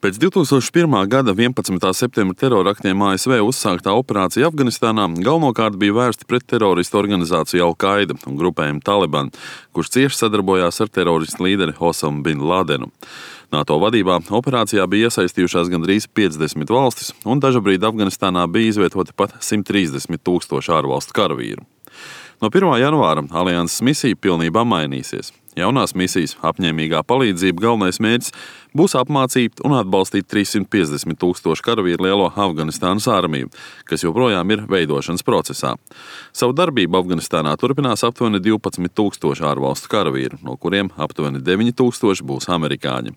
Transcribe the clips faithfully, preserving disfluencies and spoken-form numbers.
Pēc divtūkstoš pirmā gada vienpadsmitā septembra teroraktiem A S V uzsāktā operācija Afganistānā galvenokārt bija vērsta pret teroristu organizāciju Al-Qaida un grupējumu Taliban, kurš cieši sadarbojās ar teroristu līderi Osamu bin Ladenu. NATO vadībā operācijā bija iesaistījušās gandrīz piecdesmit valstis, un dažabrīd Afganistānā bija izvietoti pat simt trīsdesmit tūkstoši ārvalstu karavīru. No pirmā janvāra alianses misija pilnībā mainīsies. Jaunās misijas apņēmīgā palīdzība galvenais mērķis būs apmācīt un atbalstīt trīssimt piecdesmit tūkstošu karavīru lielo Afganistānas armiju, kas joprojām ir veidošanas procesā. Savu darbību Afganistānā turpinās aptuveni divpadsmit tūkstoši ārvalstu karavīru, no kuriem aptuveni deviņi tūkstoši būs amerikāņi.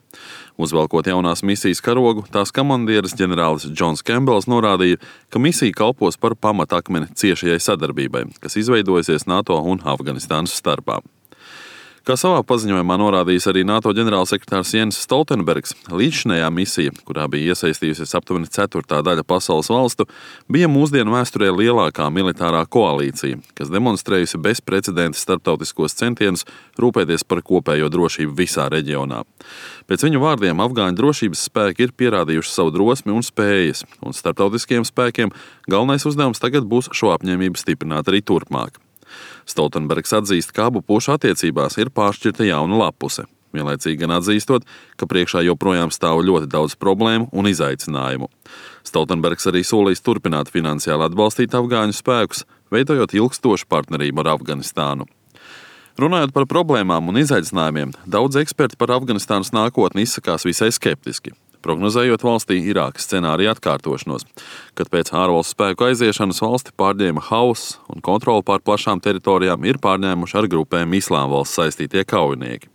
Uzvelkot jaunās misijas karogu, tās komandieris ģenerālis Džons Kembels norādīja, ka misija kalpos par pamatakmeni ciešajai sadarbībai, kas izveidojusies NATO un Afganistānas starpā. Kā savā paziņojumā norādījis arī NATO ģenerālsekretārs Jens Stoltenbergs, līdzšinējā misija, kurā bija iesaistījusies aptuveni ceturtā daļa pasaules valstu, bija mūsdienu vēsturē lielākā militārā koalīcija, kas demonstrējusi bezprecedenta starptautiskos centienus rūpēties par kopējo drošību visā reģionā. Pēc viņu vārdiem afgāņu drošības spēki ir pierādījuši savu drosmi un spējas, un starptautiskiem spēkiem galvenais uzdevums tagad būs šo apņēmību stiprināt arī turpmāk. Stoltenbergs atzīst, ka abu pušu attiecībās ir pāršķirta jauna lapuse, vienlaicīgi gan atzīstot, ka priekšā joprojām stāv ļoti daudz problēmu un izaicinājumu. Stoltenbergs arī solīs turpināt finansiāli atbalstīt afgāņu spēkus, veidojot ilgstošu partnerību ar Afganistānu. Runājot par problēmām un izaicinājumiem, daudz eksperti par Afganistānas nākotni izsakās visai skeptiski, prognozējot valstī Irākas scenāriju atkārtošanos, kad pēc ārvalstu spēku aiziešanas valsti pārņēma hauss un kontroli pār plašām teritorijām ir pārņēmuši ar grupēm Islāma valsts saistītie kaujinieki.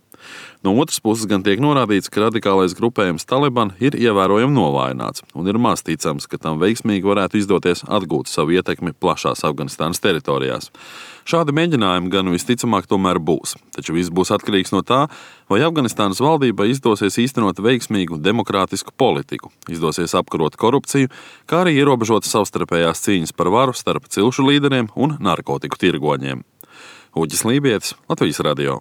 No otras puses gan tiek norādīts, ka radikālais grupējums Taliban ir ievērojami novājināts un ir maz ticams, ka tam veiksmīgi varētu izdoties atgūt savu ietekmi plašās Afganistānas teritorijās. Šādi mēģinājumi gan visticamāk tomēr būs, taču viss būs atkarīgs no tā, vai Afganistānas valdībai izdosies īstenot veiksmīgu demokrātisku politiku, izdosies apkarot korupciju, kā arī ierobežot savstarpējās cīņas par varu starp cilšu līderiem un narkotiku tirgoņiem. Uģis Lībietis, Latvijas radio.